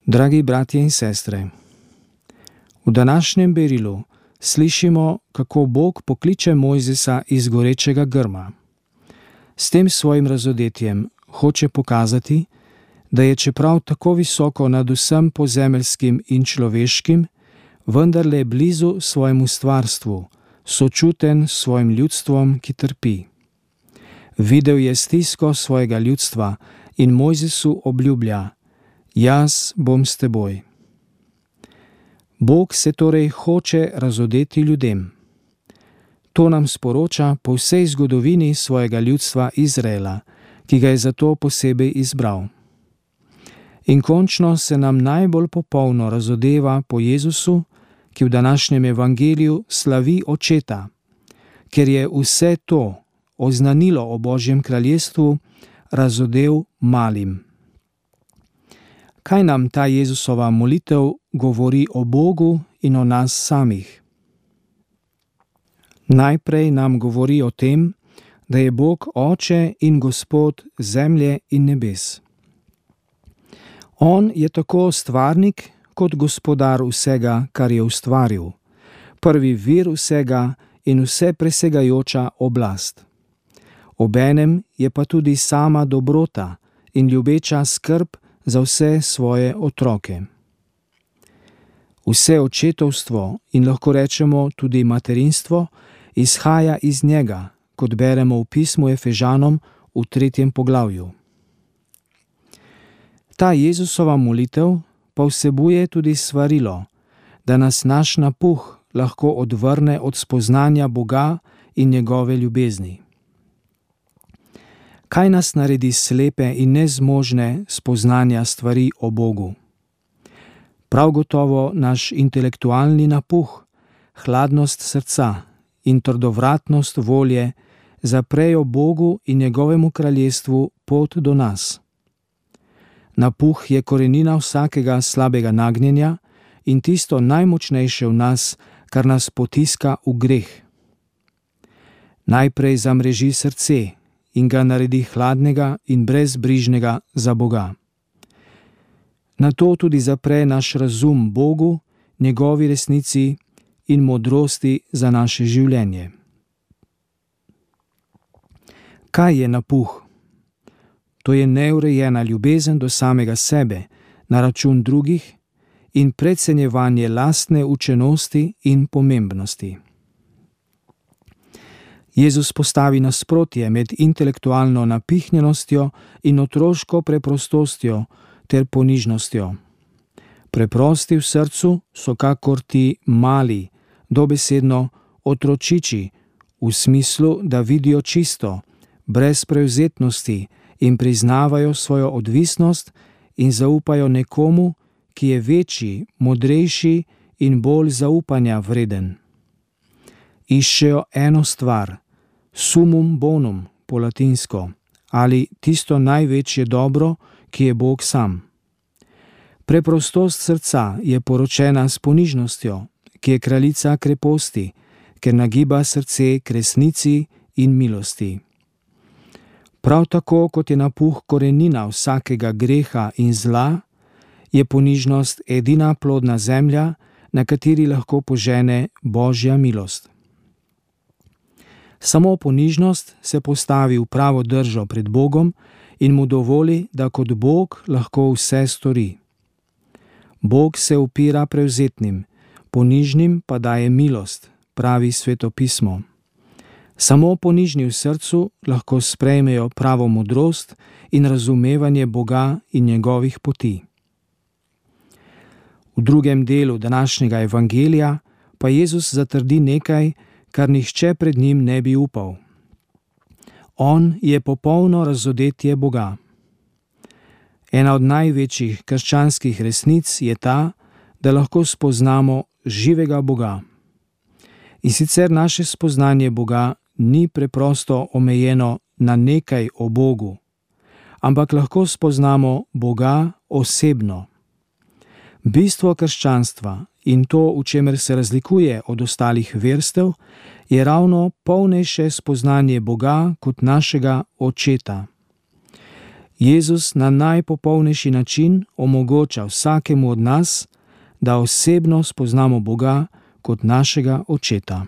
Dragi bratje in sestre, v današnjem berilu slišimo, kako Bog pokliče Mojzesa iz gorečega grma. S tem svojim razodetjem hoče pokazati, da je čeprav tako visoko nad vsem pozemeljskim in človeškim, vendarle blizu svojemu stvarstvu, sočuten s svojim ljudstvom, ki trpi. Videl je stisko svojega ljudstva in Mojzesu obljublja: jaz bom s teboj. Bog se torej hoče razodeti ljudem. To nam sporoča po vsej zgodovini svojega ljudstva Izraela, ki ga je zato posebej izbral. In končno se nam najbolj popolno razodeva po Jezusu, ki v današnjem evangeliju slavi Očeta, ker je vse to oznanilo o Božjem kraljestvu razodel malim. Kaj nam ta Jezusova molitev govori o Bogu in o nas samih? Najprej nam govori o tem, da je Bog Oče in Gospod zemlje in nebes. On je tako stvarnik kot gospodar vsega, kar je ustvaril, prvi vir vsega in vse presegajoča oblast. Obenem je pa tudi sama dobrota in ljubeča skrb za vse svoje otroke. Vse očetovstvo in lahko rečemo tudi materinstvo izhaja iz njega, kot beremo v pismu Efežanom v 3. poglavju. Ta Jezusova molitev pa vsebuje tudi svarilo, da nas naš napuh lahko odvrne od spoznanja Boga in njegove ljubezni. Kaj nas naredi slepe in nezmožne spoznanja stvari o Bogu? Prav gotovo naš intelektualni napuh, hladnost srca in trdovratnost volje zaprejo Bogu in njegovemu kraljestvu pot do nas. Napuh je korenina vsakega slabega nagnjenja in tisto najmočnejše v nas, kar nas potiska v greh. Najprej zamreži srce in ga naredi hladnega in brezbrižnega za Boga. Nato tudi zapre naš razum Bogu, njegovi resnici in modrosti za naše življenje. Kaj je napuh? To je neurejena ljubezen do samega sebe na račun drugih in precenjevanje lastne učenosti in pomembnosti. Jezus postavi nasprotje med intelektualno napihnjenostjo in otroško preprostostjo ter ponižnostjo. Preprosti v srcu so kakor ti mali, dobesedno otročiči, v smislu, da vidijo čisto, brez prevzetnosti in priznavajo svojo odvisnost in zaupajo nekomu, ki je večji, modrejši in bolj zaupanja vreden. Iščejo eno stvar, sumum bonum po latinsko, ali tisto največje dobro, ki je Bog sam. Preprostost srca je poročena s ponižnostjo, ki je kraljica kreposti, ker nagiba srce k resnici in milosti. Prav tako, kot je napuh korenina vsakega greha in zla, je ponižnost edina plodna zemlja, na kateri lahko požene Božja milost. Samo ponižnost se postavi v pravo držo pred Bogom in mu dovoli, da kot Bog lahko vse stori. Bog se upira prevzetnim, ponižnim pa daje milost, pravi Sveto pismo. Samo ponižni v srcu lahko sprejmejo pravo modrost in razumevanje Boga in njegovih poti. V drugem delu današnjega evangelija pa Jezus zatrdi nekaj, kar nihče pred njim ne bi upal. On je popolno razodetje Boga. Ena od največjih krščanskih resnic je ta, da lahko spoznamo živega Boga. In sicer naše spoznanje Boga ni preprosto omejeno na nekaj o Bogu, ampak lahko spoznamo Boga osebno. Bistvo krščanstva in to, v čemer se razlikuje od ostalih verstev, je ravno polnejše spoznanje Boga kot našega Očeta. Jezus na najpopolnejši način omogoča vsakemu od nas, da osebno spoznamo Boga kot našega Očeta.